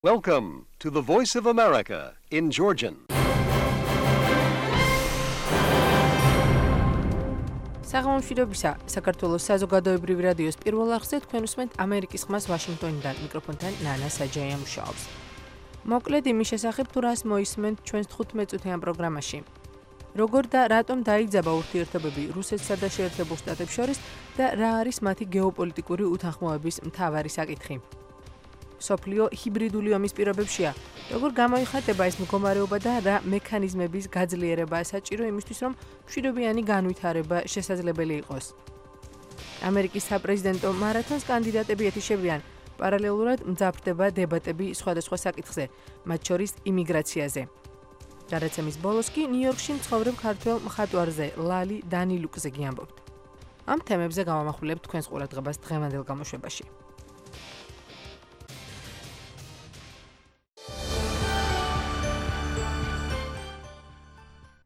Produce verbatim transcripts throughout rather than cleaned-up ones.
Welcome to the Voice of America in Georgian. საღამომშვიდობისა, საქართველოს საზოგადოებრივი რადიოს პირველ არხზე თქვენ უსმენთ ამერიკის ხმას ვაშინგტონიდან, მიკროფონთან ნანა საჯაია მუშაობს. მოკლედ იმის შესახებ თუ რას მოისმენთ ჩვენს თხუთმეტ წუთიან პროგრამაში. როგორ და რატომ დაიძაბა ურთიერთობები რუსეთსა და შეერთებულ შტატებს შორის და რა არის მათი გეოპოლიტიკური უთანხმოების მთავარი საკითხი. სოფლიო ჰიბრიდული ომის პირობებშია, როგორ გამოიხატება ეს მდგომარეობა და რა მექანიზმების გაძლიერებაა საჭირო იმისთვის, რომ მშვიდობიანი განვითარება შესაძლებელი იყოს. ამერიკის საპრეზიდენტო მარათონს კანდიდატები ეთიშებიან, პარალელურად მძაფრდება დებატები სხვადასხვა საკითხზე, მათ შორის იმიგრაციაზე. გადაცემის ბოლოს კი ნიუ-იორკში მცხოვრებ ქართველ მხატვარზე ლალი დანილუკზე გიამბობთ. ამ თემებზე გავამახვილებთ თქვენს ყურადღებას დღევანდელ გამოშვებაში.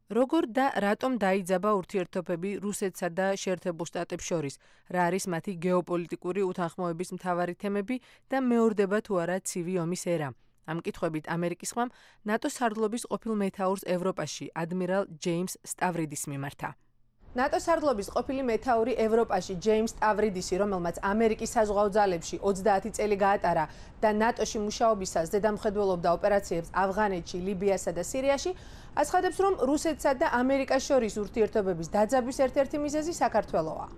როგორ და რატომ დაიძაბა ურთიერთობები რუსეთსა და შეერთებულ შტატებს შორის, რა არის მათი გეოპოლიტიკური უთანხმოების მთავარი თემები და მეორდება თუ არა ცივი ომის ერა. ამ კითხვებით ამერიკის ხმამ ნატოს სარდლობის ყოფილ მეთაურს ევროპაში, ადმირალ ჯეიმს სტავრიდისს მიმართა. ნატოს სარდლობის ყოფილი მეთაური ევროპაში, ჯეიმს სტავრიდისი, რომელმაც ამერიკის საზღვაო ძალებში ოცდაათი წელი გაატარა და ნატოში მუშაობისას ზედამხედველობდა ოპერაციებს ავღანეთში, ლიბიასა და სირიაში, აცხადებს, რომ რუსეთსა და ამერიკას შორის ურთიერთობების დაძაბვის ერთ-ერთი მიზეზი საქართველოა.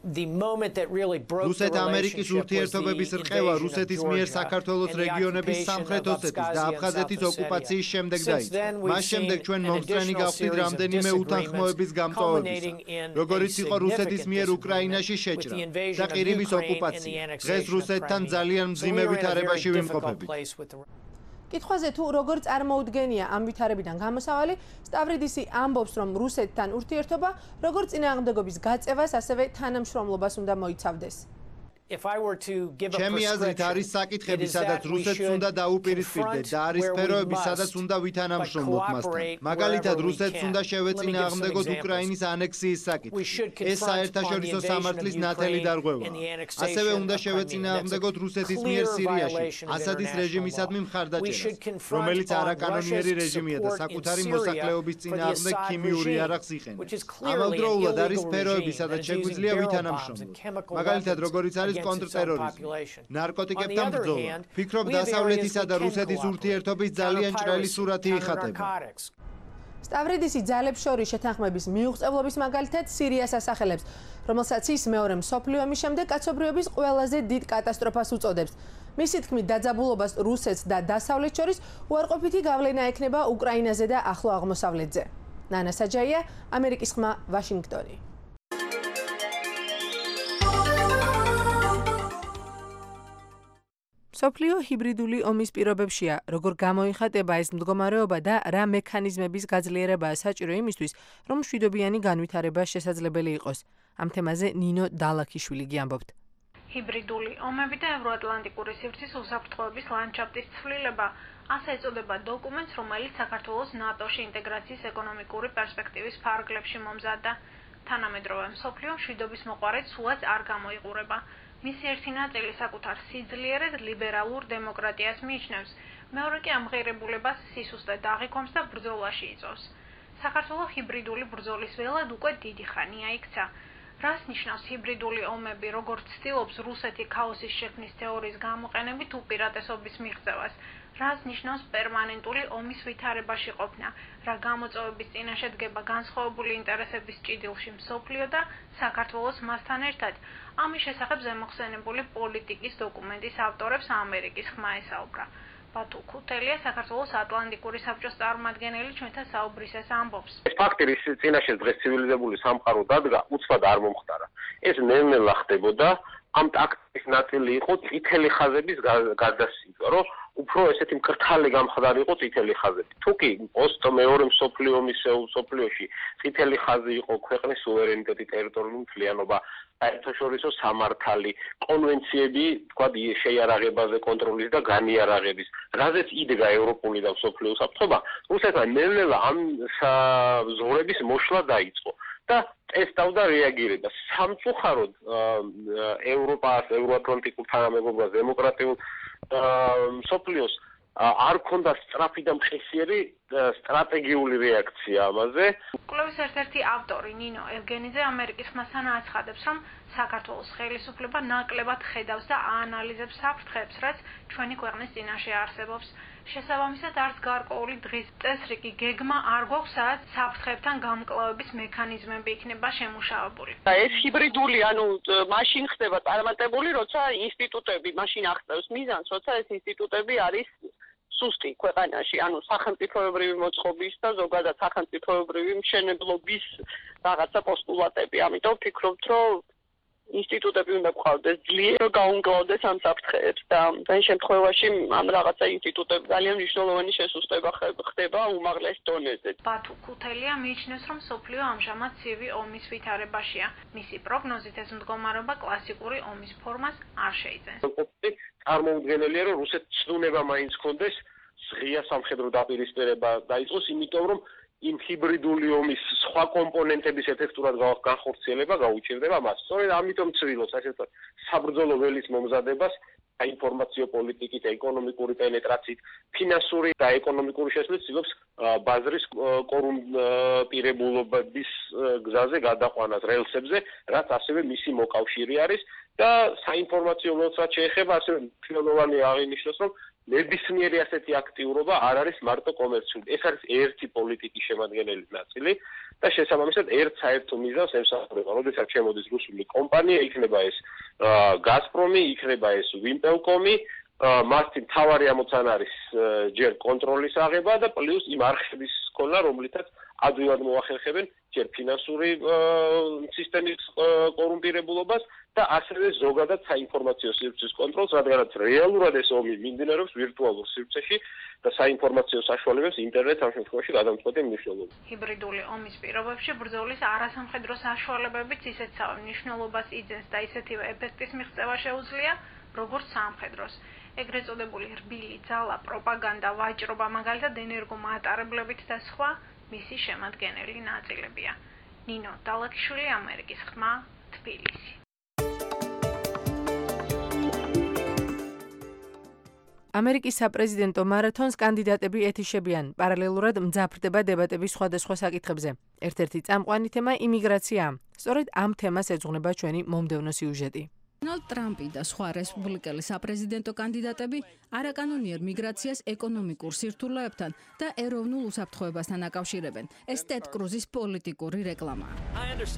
რუსეთ-ამერიკის ურთიერთობების რყევა რუსეთის მიერ საქართველოს რეგიონების სამხრეთ ოსეთის და აფხაზეთის ოკუპაციის შემდეგ დაიწყო. მას შემდეგ ჩვენ მომსწრენი გავხდით რამდენიმე უთანხმოების გამწვავებისა, როგორიც იყო რუსეთის მიერ უკრაინაში შეჭრა და ყირიმის ოკუპაცია. დღეს რუსეთთან ძალიან მძიმე ვითარებაში ვიმყოფებით. კითხვაზე თუ როგორ წარმოუდგენია ამ ვითარებიდან გამოსავალი, სტავრიდისი ამბობს, რომ რუსეთთან ურთიერთობა როგორც წინააღმდეგობის გაწევას, ასევე თანამშრომლობას უნდა მოიცავდეს. ჩემი აზრით არის საკითხები, სადაც რუსეთს უნდა დაუპირისპირდეთ და არის სფეროები, სადაც უნდა ვითანამშრომლოთ მასთან. მაგალითად, რუსეთს უნდა შევეწინააღმდეგოთ უკრაინის ანექსიის საკითხი. ეს საერთაშორისო სამართლის ნათელი დარღვევაა. ასევე უნდა შევეწინააღმდეგოთ რუსეთის მიერ სირიაში ასადის რეჟიმისადმი მხარდაჭერას, რომელიც არაკანონიერი რეჟიმია და საკუთარი მოსახლეობის წინააღმდეგ ქიმიური იარაღს იყენებს. ამავდროულად არის სფეროები, სადაც შეგვიძლია ვითანამშრომლოთ. მაგალითად, როგორიც არის კონტრტერორიზმი, ნარკოტიკებთან ბრძოლა. ფიქრობ, დასავლეთისა და რუსეთის ურთიერთობის ძალიან ჭრელი სურათი იხატება. სტავრიდისი ძალებს შორის შეთანხმების მიუღწევლობის მაგალითად სირიას ასახელებს, რომელსაც ის მეორე მსოფლიო ომის შემდეგ კაცობრიობის ყველაზე დიდ კატასტროფას უწოდებს. მისი თქმით, დაძაბულობას რუსეთს და დასავლეთს შორის უარყოფითი გავლენა ექნება უკრაინაზე და ახლო აღმოსავლეთზე. ნანა საჯაია, ამერიკის ხმა, ვაშინგტონი. სოფლიო ჰიბრიდული ომის პირობებშია, როგორ გამოიხატება ეს მდგომარეობა და რა მექანიზმების გაძლიერებაა საჭირო იმისთვის, რომ მშვიდობიანი განვითარება შესაძლებელი იყოს. ამ თემაზე ნინო დალაქიშვილი გიამბობთ. ჰიბრიდული ომები და ევროატლანტიკური სივრცის უსაფრთხოების ლანდშაფტის ცვლილება, ასე ეწოდება დოკუმენტს, რომელიც საქართველოს ნატოში ინტეგრაციის ეკონომიკური პერსპექტივის ფარგლებში მომზადდა. თანამედროვე მსოფლიო მშვიდობის მოყვარეთ სულაც არ გამოიყურება. მისი ერთი ნაწილი საკუთარ სიძლიერედ ლიბერალურ დემოკრატიას მიიჩნევს, მეორე კი ამღერებულებას სისუსტედ აღიქვამს და ბრძოლაში იწვევს. საქართველოს ჰიბრიდული ბრძოლის ველად უკვე დიდი ხანია იქცა. რას ნიშნავს ჰიბრიდული ომები, როგორც ცდილობს რუსეთი ქაოსის შექმნის თეორიის გამოყენებით უპირატესობის მიღწევას? რას ნიშნავს პერმანენტული ომის ვითარებაში ყოფნა, რა გამოწვევების წინაშე დგება განსხვავებული ინტერესების ჭიდილში მსოფლიო და საქართველოს მასთან ერთად? ამის შესახებ ზემოხსენებული პოლიტიკის დოკუმენტის ავტორებს ამერიკის ხმა ესაუბრა. ბათუ ქუთელია, საქართველოს ატლანტიკური საბჭოს წარმომადგენელი, ჩვენთან საუბრის ეს ამბობს. ეს ფაქტი, რის წინაშე დღეს ცივილიზებული სამყარო დადგა, უცბად არ მომხდარა. ეს ნელ-ნელა ხდებოდა, ამ ტაქტიკის ნაწილი იყო წითელი ხაზების გადასცემა, რომ უფრო ესეთი მკრთალი გამხდარი იყო წითელი ხაზები. თუკი პოსტ მეორე მსოფლიო ომის მსოფლიოში წითელი ხაზი იყო ქვეყნის სუვერენიტეტი, ტერიტორიული მთლიანობა, საერთაშორისო სამართალი, კონვენციები, თქვა შეიარაღებაზე კონტროლის და განიარაღების, რაზეც იდგა ევროპული და მსოფლიო უსაფრთხოება, რუსეთმა ნელ-ნელა ამ ზღვრების მოშლა დაიწყო. და ტესტავდა რეაგირებას. სამწუხაროდ ევროპას, ევროატლანტიკურ თანამეგობრობას, დემოკრატიულ მსოფლიოს არ ქონდა სწრაფი და მხისიერი სტრატეგიული რეაქცია ამაზე. კვლევის ერთ-ერთი ავტორი ნინო ევგენიძე ამერიკის ხმასთან აცხადებს, რომ საქართველოს ხელისუფლება ნაკლებად ხედავს და აანალიზებს საფრთხეებს, რაც ჩვენი ქვეყნის წინაშე არსებობს. შესაბამისად, არც გარკვეული დღის წესრიგი გეგმა არ გვაქვს, სადაც საფრთხეებთან გამკლავების მექანიზმები იქნება შემუშავებული. ეს ჰიბრიდული, ანუ მაშინ ხდება წარმატებული, როცა ინსტიტუტები მაშინ აღწევს მიზანს, როცა ეს ინსტიტუტები არის სუსტი ქვეყანაში, ანუ სახელმწიფოებრივი მოწყობის და ზოგადად სახელმწიფოებრივი მშენებლობის რაღაცა პოსტულატები. ამიტომ ვფიქრობთ, რომ ინსტიტუტები უნდა გყავდეს ძლიერ გაუმკლავდეს ამ საფრთხეებს და ამ შემთხვევაში ამ რაღაცა ინსტიტუტები ძალიან მნიშვნელოვანი შესუსტება ხდება უმაღლეს დონეზე. ბათუ ქუთელია მიიჩნევს, რომ სოფლიო ამჟამად ცივი ომის ვითარებაშია. მისი პროგნოზით ეს მდგომარეობა კლასიკური ომის ფორმას არ შეიძენს. წარმოუდგენელია, რომ რუსეთს ცდუნება მაინც ჰქონდეს ღია სამხედრო დაპირისპირება დაიწყოს, იმიტომ რომ იმ ჰიბრიდული ომის სხვა კომპონენტების ეფექტურად განხორციელება გაუჭირდება მას. სწორედ ამიტომ ცდილობს ასე ვთქვათ, საბრძოლო ველის მომზადებას საინფორმაციო პოლიტიკით, ეკონომიკური პენეტრაციით, ფინანსური და ეკონომიკური შესვლით ცდილობს ბაზრის კორუმპირებულობის გზაზე გადაყვანას რელსებზე, რაც ასევე მისი მოკავშირე არის და საინფორმაციო ველს რაც შეეხება, ასევე მნიშვნელოვანი აღინიშნოს, რომ ნებისმიერი ასეთი აქტიურობა არ არის მარტო კომერციული. ეს არის ერთი პოლიტიკის შემადგენელი ნაწილი და შესაბამისად ერთ საერთო მიზანს ემსახურება. როდესაც შემოდის რუსული კომპანია, იქნება ეს გაზპრომი, იქნება ეს ვიმპელკომი, მასთან თავარი ამოცანა არის ჯერ კონტროლის აღება და პლუს იმ არხების სკოლა, რომლითაც ადვილად მოახერხებენ ჯერ ფინანსური სისტემის კორუმპირებულობას და ასევე ზოგადად საინფორმაციო სივრცის კონტროლს, რადგანაც რეალურად ეს ომი მიმდინარეობს ვირტუალურ სივრცეში და საინფორმაციო საშუალებებს ინტერნეტს ამ შემთხვევაში გადამწყვეტი მნიშვნელობა. ჰიბრიდული ომის პირობებში ბრძოლის არასამხედრო საშუალებებიც ისეთსავე მნიშვნელობას იძენს და ისეთივე ეფექტის მიღწევა შეუძლია, როგორც სამხედროს. ეგრეთ წოდებული რბილი ძალა, პროპაგანდა, ვაჭრობა, მაგალითად ენერგომატარებლებით და სხვა მისი შემადგენელი ნაწილებია. ნინო დალაკიშვილი, ამერიკის ხმა, თბილისი. ამერიკის საპრეზიდენტო მარათონს კანდიდატები ეთიშებიან. პარალელურად მძაფრდება დებატები სხვადასხვა საკითხებზე. ერთ-ერთი წამყვანი თემა იმიგრაციაა. სწორედ ამ თემას ეძღვნება ჩვენი მომდევნო სიუჟეტი. დონალდ ტრამპი და სხვა რესპუბლიკელი საპრეზიდენტო კანდიდატები არაკანონიერ მიგრაციას ეკონომიკურ სირთულეებთან და ეროვნულ უსაფრთხოებასთან აკავშირებენ. ეს ტედ კრუზის პოლიტიკური რეკლამაა.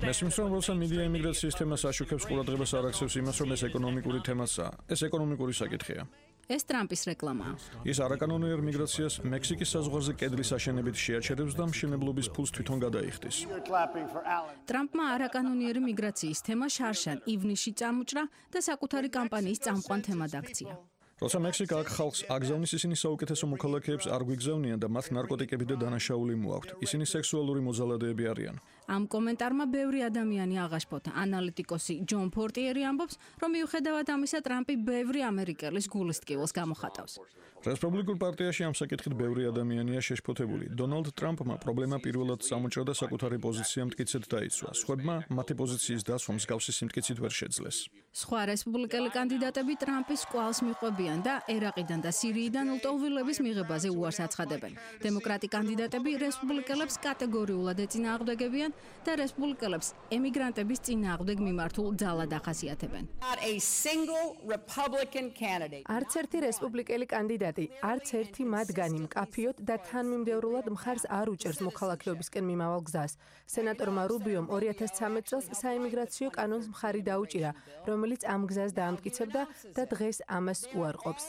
მესმის რომ როცა მედია იმიგრაციის თემას აშუქებს, ყურადღებას არ აქცევს იმას, რომ ეს ეკონომიკური თემასაა. ეს ეკონომიკური საკითხია. ეს ტრამპის რეკლამაა. ის არაკანონიერ მიგრაციას მექსიკის საზღვარზე კედლის აშენებით შეაჩერებს და მშენებლობის ფულს თვითონ გადაიხდის. ტრამპმა არაკანონიერი მიგრაციის თემა შარშან ივნისში წამოჭრა და საკუთარი კამპანიის წამყვან თემად აქცია. როცა მექსიკა აქ ხალხს აგზავნის, ისინი საუკეთესო მოქალაქეებს არ გვიგზავნიან და მათ ნარკოტიკები და დანაშაული მოაქვთ. ისინი სექსუალური მოძალადეები არიან. ამ კომენტარმა ბევრი ადამიანი აღაშფოთა. ანალიტიკოსი ჯონ ფორტიერი ამბობს, რომ მიუხედავად ამისა, ტრამპი ბევრი ამერიკელის გულისტკივილს გამოხატავს. რესპუბლიკურ პარტიაში ამ საკითხით ბევრი ადამიანია შეშფოთებული. დონალდ ტრამპმა პრობლემა პირველად წამოჭრა და საკუთარი პოზიცია მტკიცედ დაიცვა. სხვებმა მათი პოზიციის დასვა მსგავსი სიმტკიცით ვერ შეძლეს. სხვა რესპუბლიკელი კანდიდატები ტრამპის კვალს მიყვებიან და ერაყიდან და სირიიდან ლტოლვილების მიღებაზე უარს აცხადებენ. დემოკრატი კანდიდატები რესპუბლიკელებს კატეგორიულად ეწინააღმდეგებიან და რესპუბლიკელებს ემიგრანტების წინააღმდეგ მიმართულ ძალად ახასიათებენ. არც ერთი რესპუბლიკელი კანდიდატი, არც ერთი მათგანი მკაფიოდ და თანმიმდევრულად მხარს არ უჭერს მოქალაქეობისკენ მიმავალ გზას. სენატორმა რუბიომ ორი ათას ცხრამეტ წელს საიმიგრაციო კანონს მხარი დაუჭირა, რომელიც ამ გზას დაამტკიცებდა და დღეს ამას უარყოფს.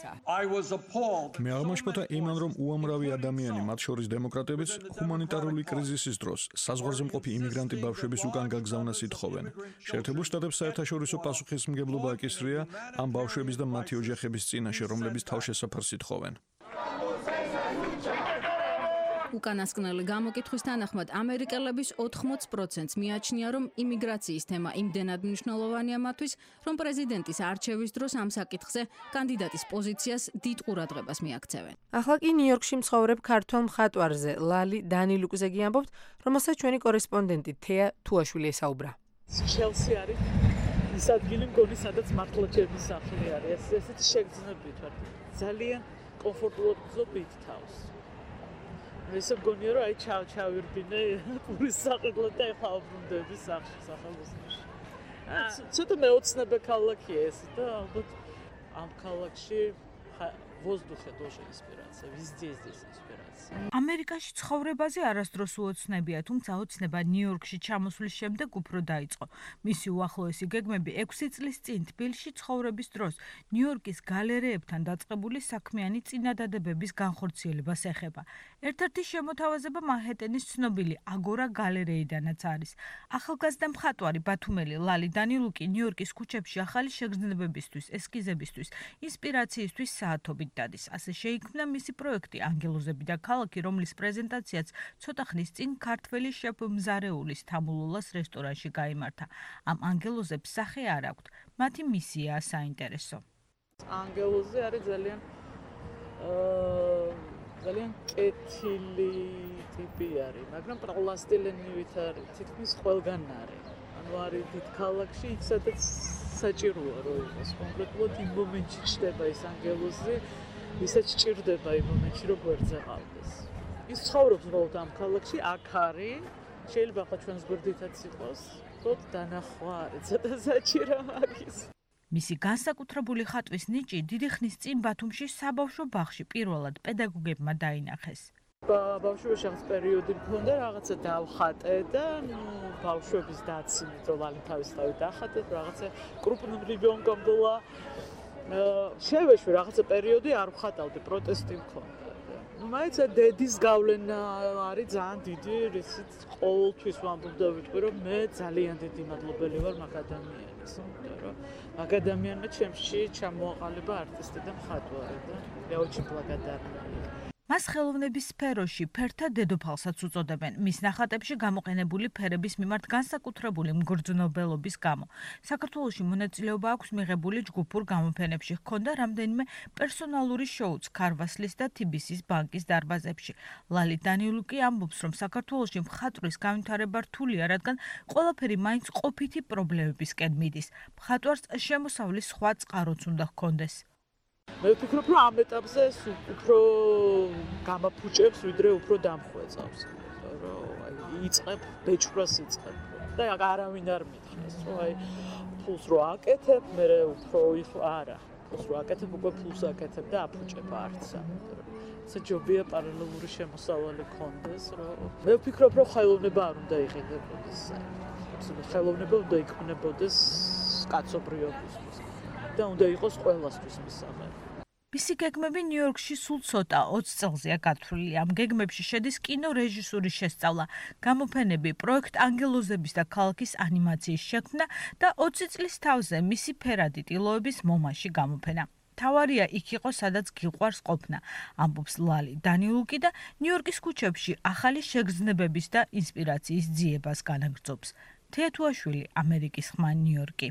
მე აღმაშფოთა იმან, რომ უამრავი ადამიანი, მათ შორის დემოკრატებიც, ჰუმანიტარული კრიზისის დროს საზღვარზე მყოფი იმიგრანტი ბავშვების უკან გაგზავნას ითხოვენ. შეერთებულ შტატებს საერთაშორისო პასუხისმგებლობა აკისრია ამ ბავშვების და მათი ოჯახების წინაშე, რომლებიც თავშესაფარს ითხოვენ. უკანასკნელი გამოკითხვის თანახმად ამერიკელების ოთხმოც პროცენტს მიაჩნია, რომ იმიგრაციის თემა იმდენად მნიშვნელოვანია მათთვის, რომ პრეზიდენტის არჩევის დროს ამ საკითხზე კანდიდატის პოზიციას დიდ ყურადღებას მიაქცევენ. ახლა კი ნიუ-იორკში მცხოვრებ ქართველ მხატვარზე ლალი დანილუკზე ამბობთ, რომელსაც ჩვენი კორესპონდენტი თეა თუაშვილი ესაუბრა. ჩელსი არის ის ადგილი მგონი, სადაც მართლა ჩემი სახლი არის. ესეთი შეგრძნებით ვარ. ძალიან კომფორტულად გზობთ თავს. ესე მგონია რომ აი ჩავ ჩავირბინე პურის საყიდლად და ეხლა ვბრუნდები სახში სახელოსნოში. ცოტა მეოცნებე ქალაქია ეს და ალბათ ამ ქალაქში воздухе тоже инспирация, везде здесь инспирация. ამერიკაში ცხოვრებაზე არასდროს უოცნებია, თუმცა ოცნება ნიუ-იორკში ჩამოსვლის შემდეგ უფრო დაიწყო. მისი უახლოესი გეგმები ექვსი წლის წინ თბილისში ცხოვრების დროს ნიუ-იორკის გალერეებთან დაწყებული საქმიანი წინადადებების განხორციელებას ეხება. ერთ-ერთი შემოთავაზება მანჰეტენის ცნობილი აგორა გალერეიდანაც არის. ახალგაზრდა მხატვარი ბათუმელი ლალი დანილუკი ნიუ-იორკის ქუჩებში ახალი შეგრძნებებისთვის, ესკიზებისთვის, ინსპირაციისთვის საათობით დადის. ასე შეიქმნა მისი პროექტი ანგელოზები და ქალაქი, რომლის პრეზენტაციაც ცოტა ხნის წინ ქართველი შეფ მზარეულის თამულულას რესტორანში გაიმართა. ამ ანგელოზებს სახე არ აქვთ, მათი მისიაა საინტერესო. ანგელოზე არის ძალიან ძალიან კეთილი ტიპი არის, მაგრამ პლასტილენივით არის, თითქმის ყველგან არის. ანუ არის დიდ ქალაქში, იქ სადაც საჭიროა რომ იყოს. კონკრეტულად იმ მომენტში ჩდება ეს ანგელოზი, ვისაც ჭირდება იმ მომენტში რომ გვერდზე ყავდეს. ის ცხოვრობს უბრალოდ ამ ქალაქში, აქ არის, შეიძლება ხა ჩვენს გვერდითაც იყოს, თოთ დანახვა არის, ცოტა საჭირო მაგის. მისი განსაკუთრებული ხატვის ნიჭი დიდი ხნის წინ ბათუმში საბავშვო ბაღში პირველად პედაგოგებმა დაინახეს. ბავშვობაში რაღაც პერიოდი მქონდა, რაღაცა დავხატე და ნუ ბავშვების დაცინით რომ ლალი თავის თავი დახატეთ, რაღაცა კრუპნიმ რიბონკომ ბოლა შევეშვი რაღაცა პერიოდი არ ვხატავდი, პროტესტი მქონდა. ნუ მაინც დედის გავლენა არის ძალიან დიდი, რისიც ყოველთვის ვამბობდა ვიტყვი რომ მე ძალიან დიდი მადლობელი ვარ მაგ ადამიანს, რომ მაგ ადამიანმა ჩემში ჩამოაყალიბა არტისტი და მხატვარი და я очень благодарна. მას ხელოვნების სფეროში ფერთა დედოფალსაც უწოდებენ. მის ნახატებში გამოყენებული ფერების მიმართ განსაკუთრებული მგრძნობელობის გამო. საქართველოში მონაწილეობა აქვს მიღებული ჯგუფურ გამოფენებში, ჰქონდა რამდენიმე პერსონალური შოუც ქარვასლის და თბილისის ბანკის დარბაზებში. ლალი დანილუკი ამბობს, რომ საქართველოში მხატვრის განვითარება რთულია, რადგან ყველაფერი მაინც ყოფითი პრობლემებისკენ მიდის. მხატვარს შემოსავლის სხვა წყაროც უნდა ჰქონდეს. მე ვფიქრობ, რომ ამ ეტაპზე უფრო გამაფუჭებს, ვიდრე უფრო დამხვეწავს. რომ აი იწებ, ბეჭვრას იწებ. და არავინ არ მითხრას, რომ აი ფულს რო აკეთებ, მე უფრო არა. ფულს რო აკეთებ, უკვე ფულს აკეთებ და აფუჭებ არცა. ეს ჯობია პარალელური შემოსავალი ქონდეს, რომ მე ვფიქრობ, რომ ხელოვნება არ უნდა იყიდებოდეს. აბსოლუტურად ხელოვნება უნდა იქმნებოდეს კაცობრიობისთვის. და უნდა იყოს ყველასთვის მისაღები. მისი გეგმები ნიუ-იორკში სულ ცოტა ოცი წელზეა გათვლილი. ამ გეგმებში შედის კინორეჟისურის შესწავლა, გამოფენები, პროექტ ანგელოზების და ქალაქის ანიმაციის შექმნა და ოცი წლის თავზე მისი ფერადი ტილოების მომაში გამოფენა. თავარია იქ იყო, სადაც გიყვარს ყოფნა, ამბობს ლალი დანილუკი და ნიუ-იორკის ქუჩებში ახალი შეგრძნებების და ინსპირაციის ძიებას განაგრძობს. თეათუაშვილი, ამერიკის ხმა, ნიუ-იორკი.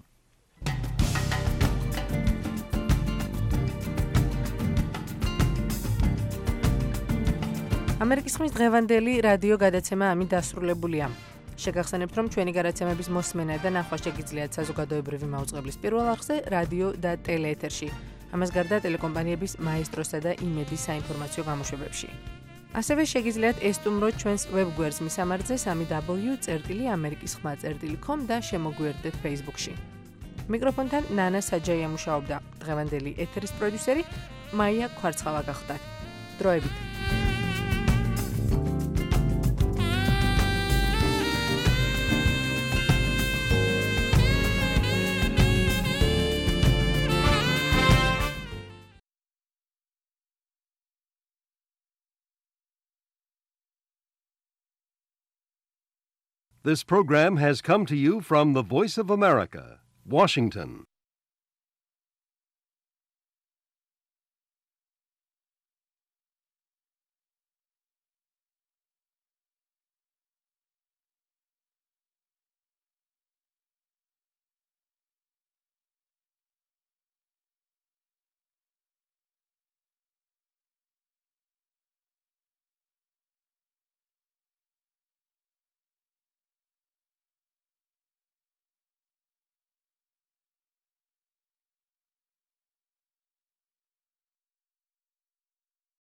ამერიკის ხმის დღევანდელი რადიო გადაცემა ამით დასრულებულია. შეგახსენებთ, რომ ჩვენი გადაცემების მოსმენა და ნახვა შეგიძლიათ საზოგადოებრივი მაუწყებლის პირველ არხზე, რადიო და ტელეეთერში. ამას გარდა ტელეკომპანიების მაესტროსა და იმედის საინფორმაციო გამოშვებებში. ასევე შეგიძლიათ ესტუმროთ ჩვენს ვებგვერდს მისამართზე სამი დაბლიუ წერტილი ამერიკის ხმა წერტილი com და შემოგვიერთდეთ Facebook-ში. მიკროფონთან ნანა საჯაია მუშაობდა. დღევანდელი ეთერის პროდიუსერი მაია ქვარცხავა გახდათ. დროებით. This program has come to you from the Voice of America, Washington.